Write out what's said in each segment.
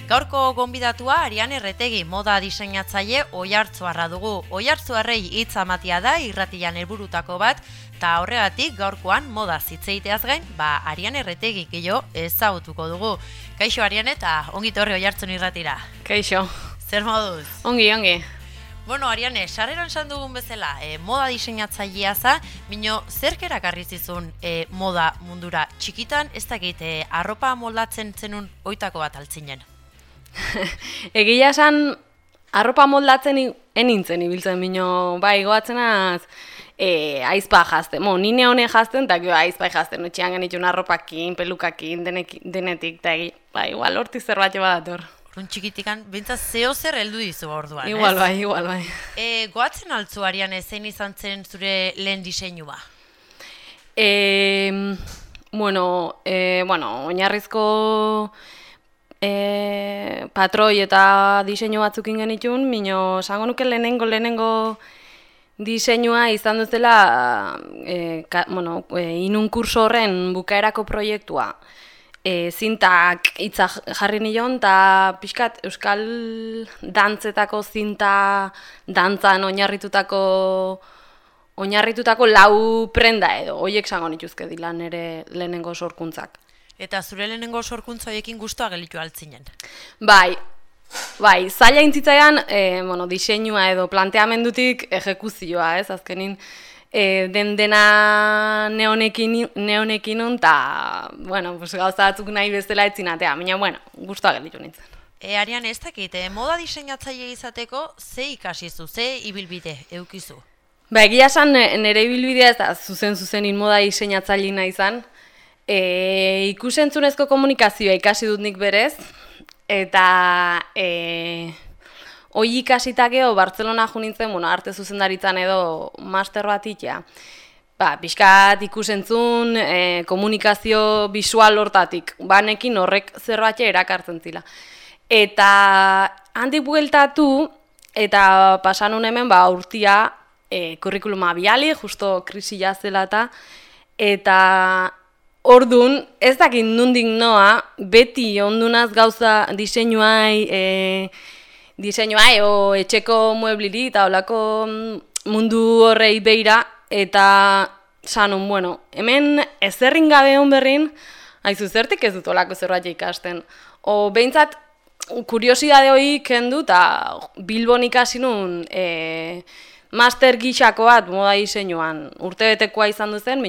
Gaurko gonbidatua Ariane Erretegi, moda diseinatzaile Oiartzuarra dugu. Oiartzuarrei hitza ematea da irratian helburutako bat, eta horregatik gaurkoan moda hitzeiteaz gain, Ariane Erretegi gehiago ezagutuko dugu. Kaixo Ariane eta ongi etorri Oiartzun irratira. Kaixo. Zer moduz? Ongi. Bueno, Ariane, sarreran esan dugun bezala, moda diseinatzailea za, mino zerk erakarri zizun moda mundura txikitan, ez dakit, arropa moldatzen zenun oitako bat altzinen? Egia esan, arropa moldatzen enintzen ibiltzen mino, goatzenaz, aizpa jazten, nine hone jazten, eta aizpa jazten, etxean genitxun arropakin, pelukakin, denetik, eta igual hortik zerbait badator. Orduan txikitikan, bintzat zeo zer heldu dizu orduan, igual bai. Goatzen altzu, Ariane, zein izan zen zure lehen diseinua? Oinarrizko patroi eta diseinu batzukin genitun, mino esango nuke lehenengo diseinua izan duzela inun kurso horren bukaerako proiektua. Zintak hitza jarri nion, eta pixkat euskal dantzetako zinta dantzan oinarritutako lau prenda edo, horiek zango nituzke dila nire lehenengo sorkuntzak. Eta zure lehenengo sorkuntza horiekin guztua gelitu altzinen? Bai, zaila intzitzaian, diseinua edo planteamendutik ejekuzioa, ez, azkenin, dena neonekin nun, eta, gauza batzuk nahi bezala etzinatea, baina, guztua gelitu nintzen. Ariane, ez dakit, moda diseinatzaile izateko, ze ikasizu, ze ibilbide eukizu? Egia esan, nire ibilbidea ez da zuzen moda diseinatzaile nahi izan, ikusentzunezko komunikazioa ikasi dut nik berez, eta hoi ikasitakeo Bartzelona jo nintzen, arte zuzendaritzan edo master bat itea. Pixkat ikusentzun, komunikazio bisual hortatik, banekin horrek zerbait erakartzen zila. Eta handik bueltatu, eta pasan hemen urtia kurrikuluma biali, justo krisi jazela eta orduan, ez dakit nondik noa, beti ondunaz gauza diseinuai o etxeko muebliri eta olako mundu horrei beira, eta sanun, hemen ezerrin gabe hon berrin, haizu zertik ez dut olako zerbait ikasten. O behintzat, kuriosidade hori kendu, eta Bilbon ikasi nun master gixako bat moda diseinuan urtebetekoa izan duzen,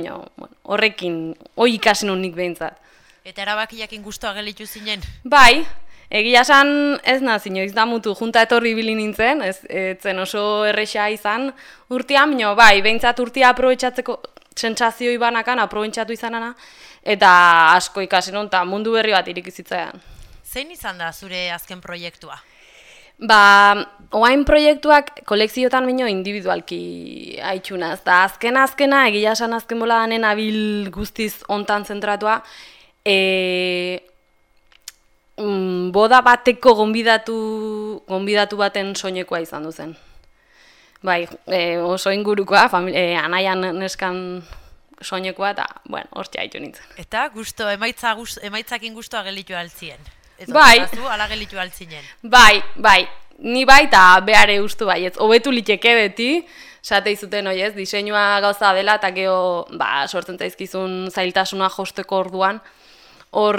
horrekin, hori ikasi nun nik behintzat. Eta erabakiakin guztua gelitu zinen? Bai, egia esan ez nazio, izdamutu junta etorri bili nintzen, ez zen oso erresa izan urtean, behintzat urtea aprobetxatzeko sentsazioi banakan, aprobetxatu izanana, eta asko ikasi nun, eta mundu berri bat irikizitzaian. Zein izan da zure azken proiektua? Oain proiektuak kolekziotan individualki haitxunaz, eta azkena, egia esan azken bola danen abil guztiz ontan zentratua, boda bateko gonbidatu baten soinekoa izan duzen. Oso ingurukoa, anaian neskan soinekoa, eta, hortxe haitu nintzen. Eta emaitzakin guztua gelitu altzien? Bai. Ala gelitu altzinen? Bai, ni bai eta behare ustu bai, ez hobetu liteke beti, esate izuten hoi ez, diseinua gauza dela, eta geho, sortzen zaizkizun zailtasuna josteko orduan, hor,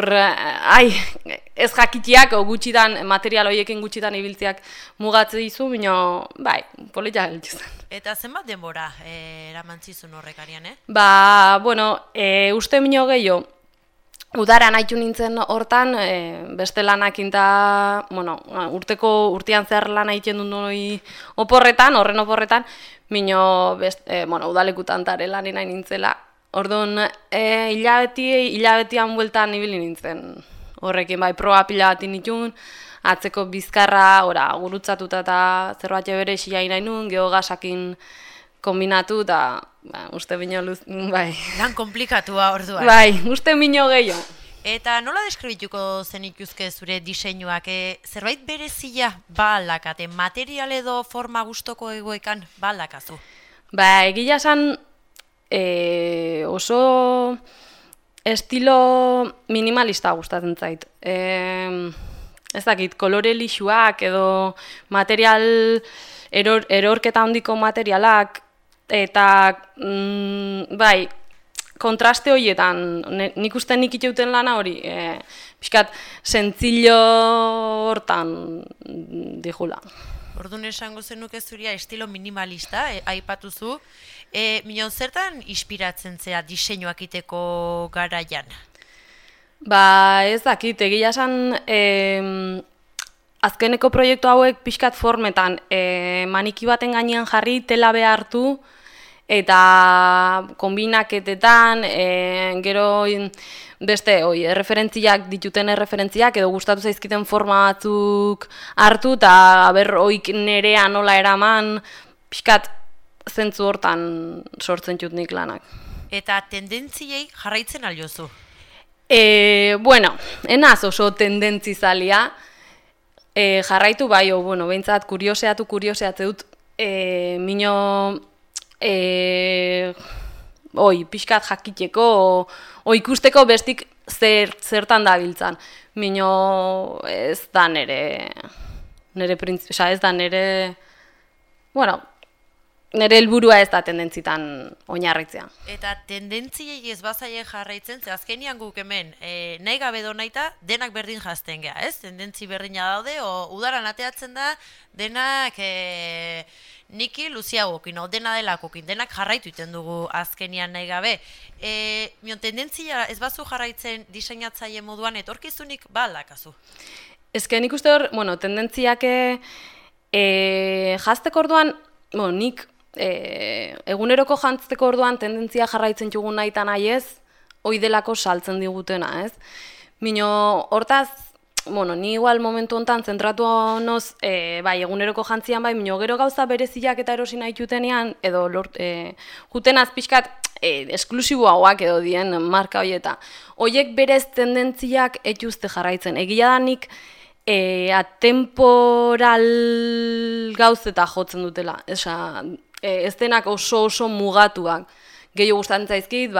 ez jakitiak, gutxitan, material horiekin gutxitan ibiltziak mugatze dizu, bai, politia geltu zen. Eta zenbat denbora eramantzizun horrek, Ariane? Uste mino gehiago, udaran haitu nintzen hortan, beste lanakin eta, urtean zehar lan haiten dut horren oporretan, udalekutan tare lan nahi nintzela. Orduan, hilabetian bueltan ibili nintzen horrekin, proba pila bat nituen, atzeko bizkarra, gurutzatuta eta zerbait bere xia nahi nuen, geogasakin kombinatu, eta uste bino bai. Lan komplikatua orduan. Bai, uste bino gehiago. Eta nola deskribituko zenituzke zure diseinuak? Zerbait berezia aldakate, material edo forma gustoko egoekan aldakazu? Egia esan oso estilo minimalista gustatzen zait. ez dakit, kolore lixuak edo material, erorketa handiko materialak, eta bai, kontraste horietan, nik uste nik iteuten lana hori, pixkat, sentzillo hortan dijula. Orduan esango zenuke zuria estilo minimalista, aipatuzu. Minon, zertan inspiratzen zea diseinuak iteko garaian? Ba, ez dakit, egia esan, azkeneko proiektu hauek pixkat formetan, maniki baten gainean jarri, tela behartu, eta konbinaketetan, gero beste, erreferentziak dituten erreferentziak, edo gustatu zaizkiten forma batzuk hartu, eta oik nerea nola eraman, pixkat zentzu hortan sortzen txut nik lanak. Eta tendentziei jarraitzen aliozu? Bueno, enaz oso tendentzizalia, jarraitu bai, behintzat kurioseatzeut, mino, pixkat jakiteko, ikusteko bestik zertan da biltzan. Mino, ez da nere helburua ez da tendentzitan oinarritzea. Eta tendentziei ez bazaie jarraitzen, ze azkenian guk hemen, nahi gabe donaita, denak berdin jazten geha, ez? Tendentzi berdina daude, udaran ateatzen da, denak niki luziagokin, dena delakokin, denak jarraitu iten dugu azkenian nahi gabe. Tendentzia ez bazu jarraitzen diseinatzaile moduan, etorkizunik aldakazu? Ezken nik uste hor, tendentziak jazteko orduan, nik eguneroko jantzteko orduan tendentzia jarraitzen txugun nahi eta nahi ez, hoi delako saltzen digutena, ez? Mino, hortaz, ni igual momentu honetan zentratu honoz, bai, eguneroko jantzian bai, mino gero gauza bereziak eta erosi nahi jutenean, edo juten azpixkat esklusiboagoak edo dien marka horieta. Hoiek berez tendentziak etxuzte jarraitzen. Egia da nik atemporal gauzeta jotzen dutela. Ez denak oso mugatuak. Gehiago gustatzen zaizkit,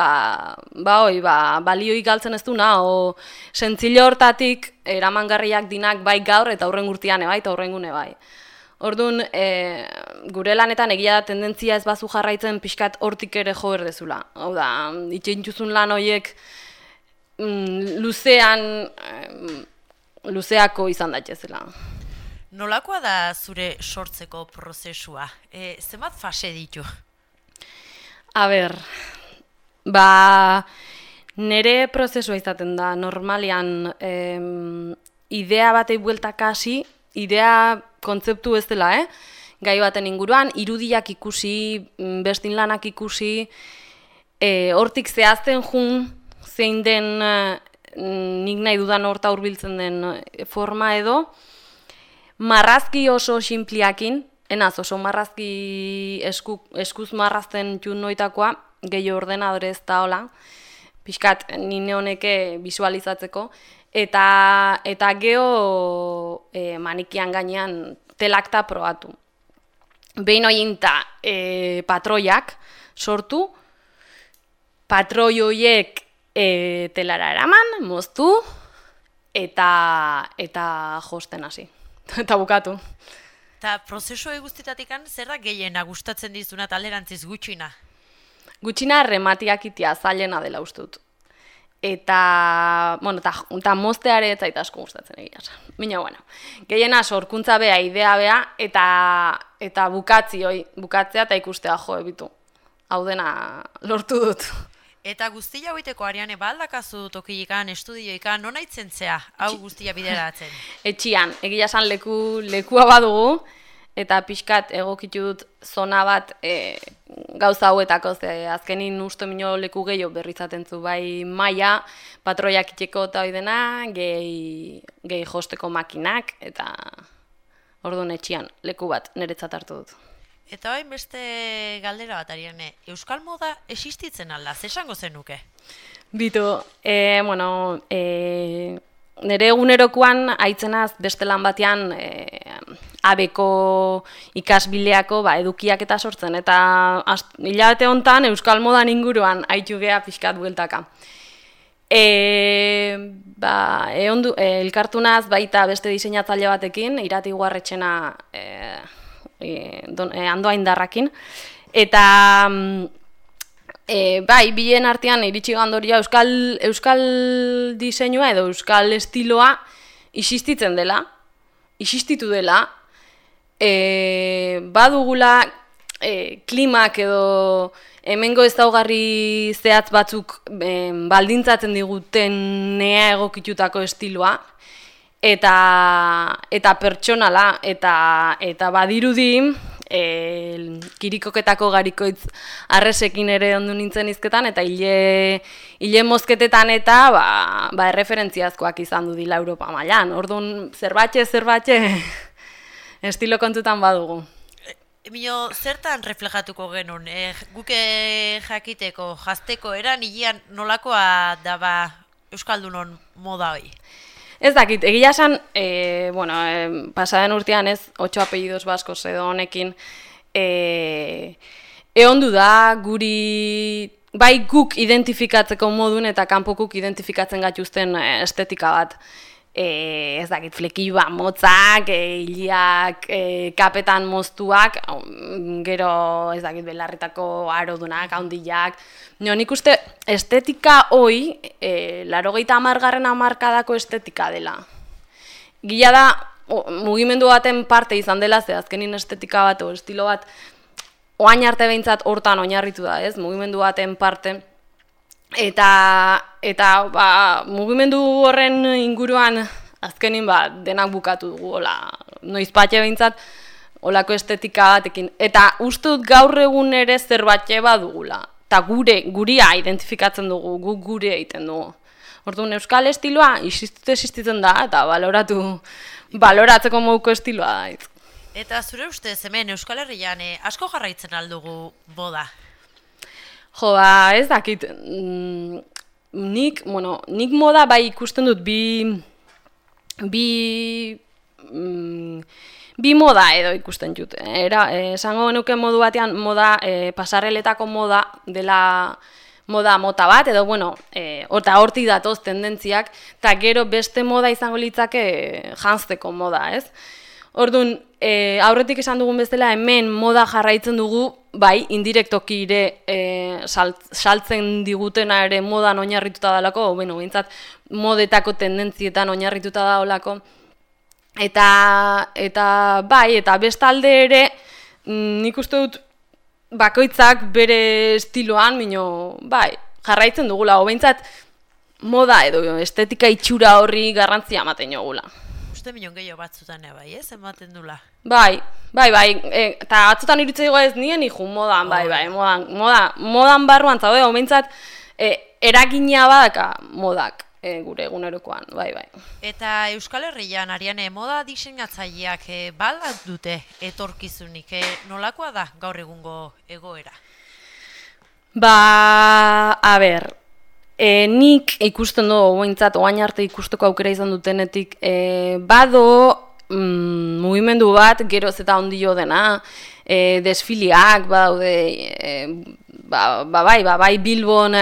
balioik galtzen ez duna, sentzilo hortatik eramangarriak dinak bai gaur eta aurren urtean ebai eta aurrengune bai. Orduan, gure lanetan egia da tendentzia ez bazu jarraitzen pixkat hortik ere jo berdezula. Hau da, itxentxuzun lan horiek luzeako izan daitezela. Nolakoa da zure sortzeko prozesua? Zenbat fase ditu? A ber, nere prozesua izaten da, normalian idea batei bueltaka hasi, idea kontzeptu ez dela, gai baten inguruan, irudiak ikusi, bestin lanak ikusi, hortik zehazten jun, zein den nik nahi dudan horta hurbiltzen den forma edo, marrazki oso sinpliakin, enaz oso marrazki eskuz marrazten txun noitakoa, gehiago ordenadore ez da hola, pixkat nine honeke visualizatzeko, eta geho manikian gainean telakta probatu. Behin hoiinta patroiak sortu, patroi horiek telara eraman, moztu, eta josten hasi. Eta bukatu. Eta prozesu guztitatik zer da gehiena gustatzen dizuna eta alderantziz gutxina? Gutxina rematiak itia zailena dela ustut. Eta mozteare ez zaita asko gustatzen egia esan. Baina, gehiena sorkuntza bea, idea bea, eta bukatzea eta ikustea jo ebitu. Hau dena lortu dut. Eta guztia hoiteko Ariane, aldakazu tokilikan, estudioikan, nona itzentzea, hau guztia bideratzen? Etxian, egia esan lekua badugu, eta pixkat egokitu dut zona bat gauza hauetako, azkenin uste minio leku gehiago berrizaten zu, bai maia, patroiak itxeko eta hoi dena, gehi josteko makinak, eta orduan etxian, leku bat niretzat hartu dut. Eta hain beste galdera bat, Ariane, euskal moda existitzen alda, zesango zenuke? Bitu, nire egunerokoan aitzenaz beste lan batean abeko ikasbileako edukiak eta sortzen, eta hilabete honetan euskal modan inguruan aitu geha pixkat bueltaka. Elkartu naz baita beste diseinatzaile batekin, Irati Guarretxena Andoaindarrakin, eta bai, bilen artean iritsi gandoria euskal diseinua edo euskal estiloa existitzen dela, existitu dela, badugula klimak edo hemengo ezaugarri zehatz batzuk baldintzatzen diguten egokitutako estiloa, eta pertsonala, eta badirudi kirikoketako garikoitz arresekin ere ondu nintzen izketan, eta hile mozketetan eta erreferentziazkoak izan du dila Europa mailan. Orduan, zerbatxe estilo kontutan badugu. Mino, zertan reflejatuko genuen? Guke jakiteko, jazteko eran, hilean nolakoa daba Euskaldunon moda hoi? Ez dakit, egia esan, pasaden urtean ez, 8 apellidos baskos edo honekin, eondu da, guri, bai guk identifikatzeko modun eta kanpokuk identifikatzen gatuzten estetika bat. Ez dakit, flekioa motzak, hiliak, kapetan moztuak, gero ez dakit belarritako arodunak, haundilak. Nik uste estetika hoi, 80. hamarkadako estetika dela. Gila da, mugimendu baten parte izan dela, ze azkenin estetika bat o estilo bat, oain arte behintzat hortan oinarritu da, ez? Mugimendu baten parte. Eta mugimendu horren inguruan azkenin denak bukatu dugu, noizpatxe behintzat, olako estetika batekin. Eta uste dut gaur egun ere zerbatxe badugula. Eta guria identifikatzen dugu, guk gure egiten dugu. Orduan, euskal estiloa existitzen da, eta baloratzeko moduko estiloa da. Eta zure ustez hemen Euskal Herrian asko jarraitzen aldugu moda? Jo, ez dakit, nik moda bai ikusten dut bi moda edo ikusten dut. Esango genuke modu batean moda, pasarreletako moda dela moda mota bat, edo hortik datoz tendentziak, eta gero beste moda izango litzake janzteko moda, ez? Orduan, aurretik esan dugun bezala hemen moda jarraitzen dugu, bai, indirektoki ere saltzen digutena ere modan oinarrituta dalako, behintzat modetako tendentzietan oinarrituta da olako. Eta bestalde ere, nik uste dut bakoitzak bere estiloan, bai, jarraitzen dugula, behintzat moda edo estetika itxura horri garrantzia ematen jogula. Uste milion gehiago batzutan bai, ez? Ematen dula? Bai, eta batzutan irutzea ez nien iju modan, modan barruan zaude, behintzat eragina badaka modak gure egunerokoan, bai. Eta Euskal Herrian, Ariane, moda diseinatzaileak baldat dute etorkizunik, nolakoa da gaur egungo egoera? Nik ikusten dugu, oain arte ikusteko aukera izan dutenetik, bado mugimendu bat geroz eta ondio dena, desfiliak badaude, bai Bilbon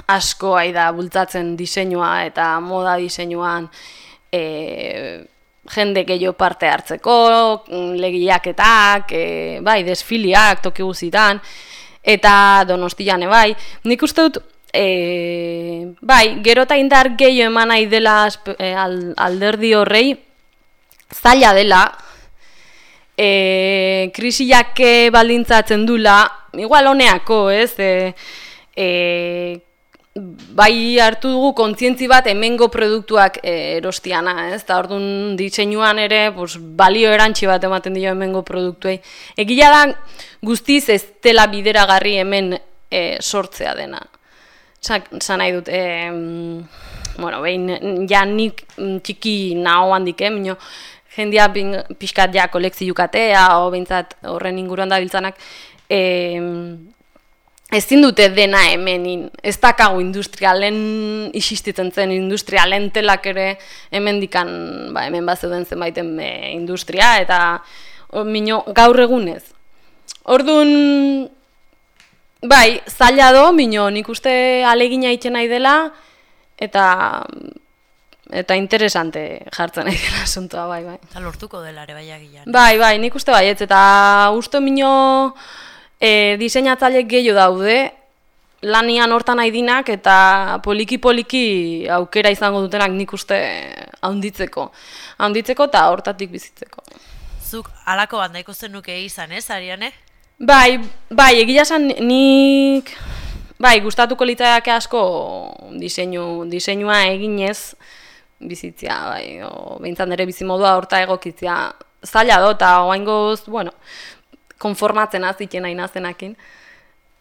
asko da bultzatzen diseinua eta moda diseinuan jende gehiago parte hartzeko, legiaketak, bai desfiliak toki guzitan, eta Donostian bai. Nik uste dut, bai, gero eta indar gehiago eman nahi dela alderdi horrei, zaila dela, krisiak baldintzatzen dula, igual honeako, ez? Bai hartu dugu kontzientzi bat hemengo produktuak erostiana, ez? Eta orduan diseinuan ere balio erantsi bat ematen dio hemengo produktuei. Egia da guztiz ez dela bideragarri hemen sortzea dena. Zan nahi dut, nik txiki naho handik, jendia pixkat ja kolekziokatea, o behintzat horren inguruan da biltzanak, ezin dute dena hemenin, ez dakagu industrialen isistitzen zen, industrialen telak ere hemendikan, hemen bat zeuden zenbaiten industria, eta gaur egunez. Orduan, bai, zaila do, nik uste alegina itxen nahi dela, eta interesante jartzen nahi dela asuntoa, bai. Eta lortuko dela ere baiagian. Bai, nik uste baietz, eta uste mino diseinatzaile gehiago daude, lanian hortan nahi eta poliki-poliki aukera izango dutenak nik uste haunditzeko eta hortatik bizitzeko. Zuk halako bat nahiko zenuke izan, ez, Ariane? Bai, egia esan nik, gustatuko litzaidake asko diseinua eginez bizitzea, behintzat nire bizimodua horta egokitzea zaila do, eta oaingoz, konformatzen aziten nahi nazenakin.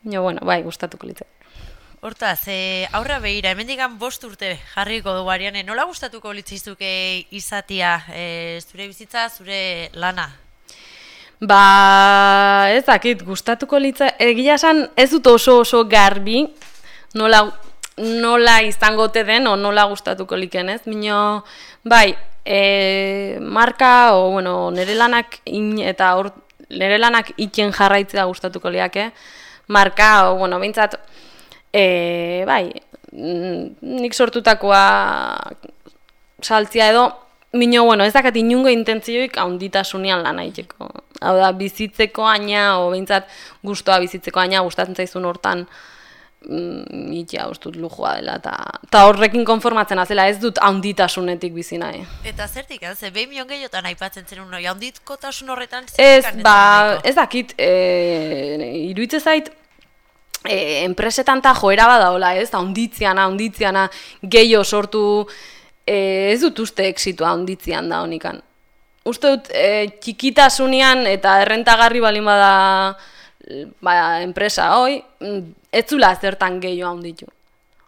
Gustatuko litzaidake. Hortaz, aurra behira, hemendikan 5 urte jarriko dugu, Ariane, nola gustatuko litzizuke izatia, zure bizitza, zure lana? Ez dakit, gustatuko litza, egia esan ez dut oso garbi, nola izango te den, o nola gustatuko liken, ez? Mino, marka, nire lanak nire lanak iken jarraitzea gustatuko liake, marka, behintzat, nik sortutakoa saltzia edo, mino, ez dakat inungo intentzioik haunditasunean lan egiteko. Hau da, bizitzeko aina, o behintzat gustoa bizitzeko aina, gustatzen zaizun hortan itea ustut lujua dela, eta horrekin konformatzen azela, ez dut haunditasunetik bizi nahi. Eta zertik, ze 2 milion gehiotan aipatzen zen unoi, haunditkotasun horretan ez dakit, iruditzen zait, enpresetan eta joera badaola, ez, haunditziana, gehiago sortu, ez dut uste exitua haunditzian da honikan. Uste dut, txikitasunean eta errentagarri balin bada enpresa, ez zula zertan gehiago haunditu.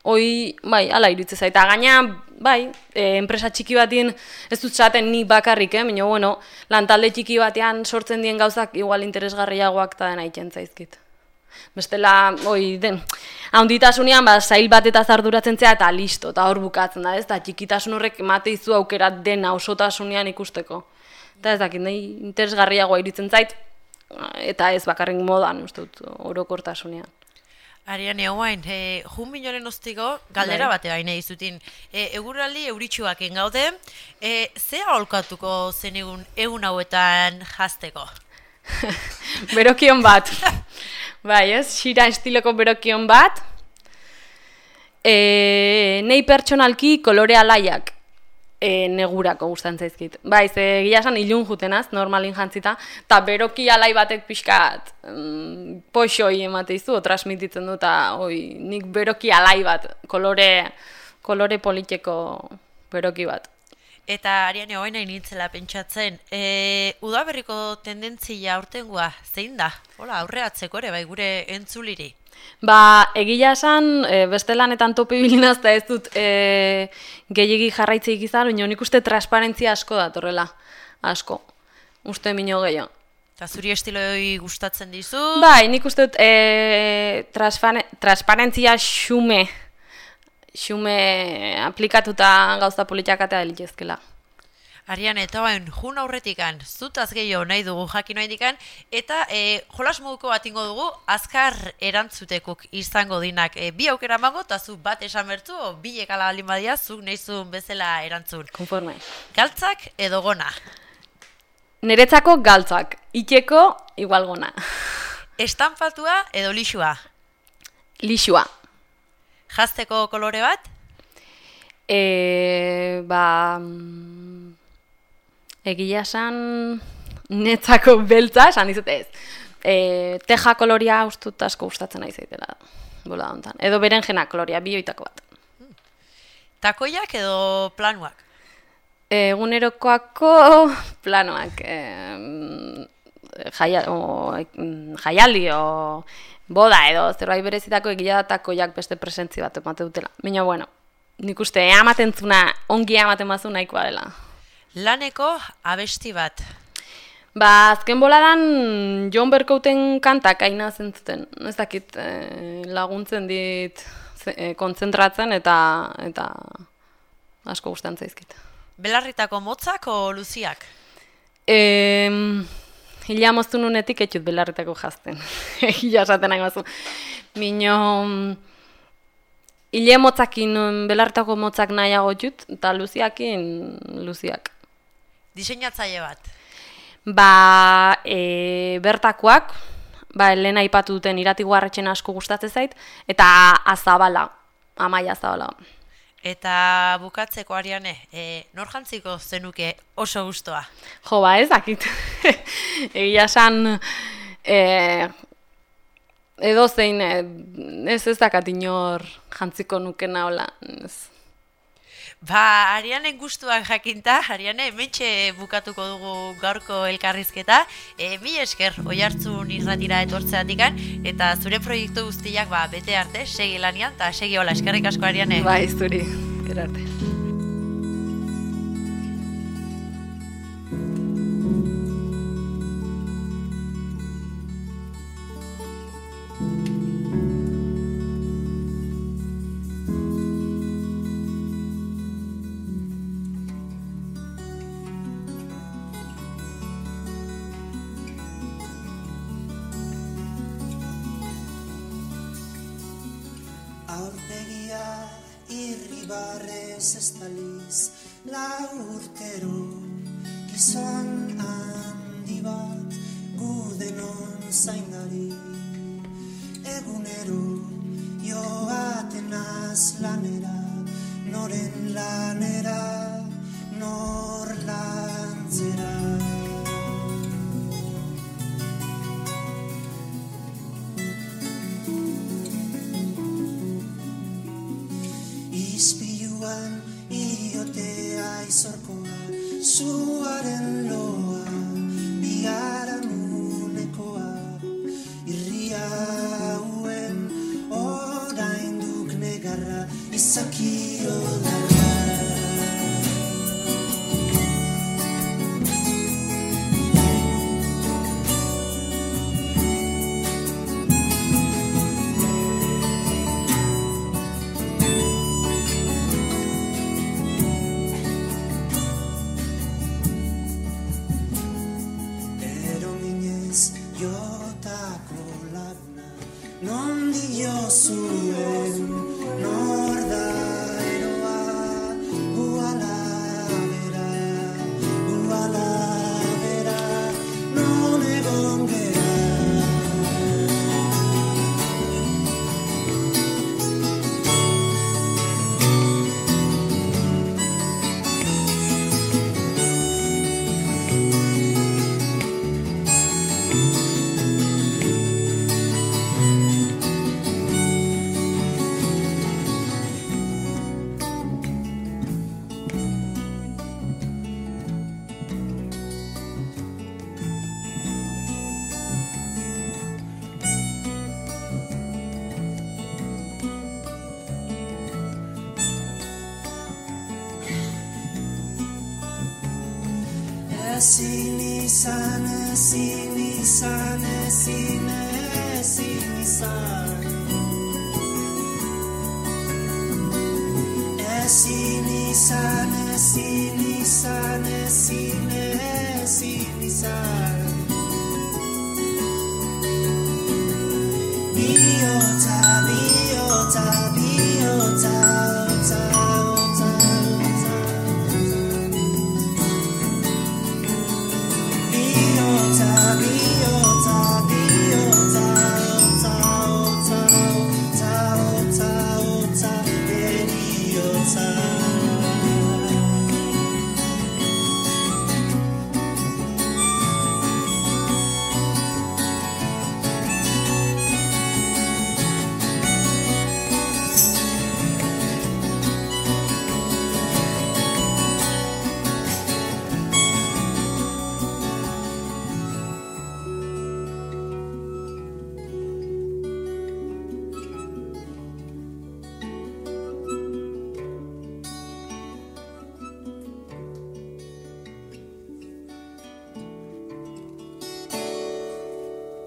Ala iruditzen zait, eta gaina, enpresa txiki batien, ez dut zaten nik bakarrik, baina, lantalde txiki batean sortzen dien gauzak igual interesgarriagoak eta dena egiten zaizkit. Bestela, haunditasunean, zail bat eta zarduratzen zea eta listo, eta hor bukatzen da, ez? Eta txikitasun horrek emate izu aukera dena osotasunean ikusteko. Eta ez dakit, nahi interesgarriagoa iruditzen zait, eta ez bakarrik modan, uste dut, orokortasunean. Ariane, oain, junbinoren ostiko, galdera bate baina izutin. Eguraldi euritxuak engaude, ze aholkatuko zen egun hauetan jazteko? Berokion bat. Xira estiloko berokion bat. Nei pertsonalki kolore alaiak negurako gustan zaizkit. Egia esan ilun jutenaz, normalin jantzita, eta beroki alai batek pixkat poxoi emate izu, transmititzen du, eta nik beroki alai bat, kolore politiko beroki bat. Eta Ariane, hoain nahi nintzela pentsatzen, udaberriko tendentzia aurtengoa zein da? Aurreatzeko ere, gure entzuliri? Egia esan, beste lanetan topi bilinazta ez dut gehiegi jarraitzeik izan, baina nik uste transparentzia asko datorrela, asko, uste mino gehiago. Eta zuri estiloi gustatzen dizu? Nik uste dut transparentzia xume aplikatuta gauza politiakatea delitezkela. Ariane, eta jun aurretikan, zutaz gehiago nahi dugu jakin nahi eta jolas moduko bat ingo dugu, azkar erantzutekuk izango dinak. Bi aukera mango, eta zu bat esan bertu, bilek ala balin badia, zuk nahizun bezala erantzun. Konforme. Galtzak edo gona? Niretzako galtzak, iteko igual gona. Estanpatua edo lixua? Lixua. Jazteko kolore bat? Egia esan netzako beltza, esan dizut ez. Teja koloria ustut asko gustatzen nahi zaitela. Bola hontan. Edo berenjena koloria, bioitako bat. Takoiak edo planuak? Egunerokoako planuak. Jaialdi o boda edo zerbait berezitako egia takoiak beste presentzi bat emate dutela. Baina, nik uste amatentzuna, ongi amaten bazu nahikoa dela. Laneko abesti bat? Azken boladan Jon Berkouten kantak aina zentzuten. Ez dakit laguntzen dit kontzentratzen eta asko gustatzen zaizkit. Belarritako motzak o luziak? Hila moztu nunetik etxut belarritako jazten. Hila esaten nahi bazu. Mino Ile motzakin, belartako motzak nahiago jut, eta luziakin luziak. Diseinatzaile bat. Bertakoak, lehen aipatu duten Irati-Guarretxen asko gustatzen zait, eta Azabala, Amaia Azabala. Eta bukatzeko, Ariane, nor jantziko zenuke oso gustoa? Jo, ez dakit. Egia esan, edo zein, ez dakat inor jantziko nukena hola. Arianen gustuak jakinta, Ariane, hementxe bukatuko dugu gaurko elkarrizketa. Mil esker, Oihartzun irratira etortzeatikan, eta zure proiektu guztiak bete arte, segi lanian, eta segi hola, eskerrik asko, Ariane. Bai, zuri, erarte. Aurpegia irribarrez estaliz, lau urtero gizon handi bat gudenon zaindari. Egunero joaten az lanera, noren lanera, nor lantzera. Izpiluan iotea izorkoa, zuaren loa, biharamunekoa, irria hauen orainduk negarra, izakio darra. Ezin izan, ezin izan, ezin izan. Ezin izan, ezin izan, ezin izan. Bihotza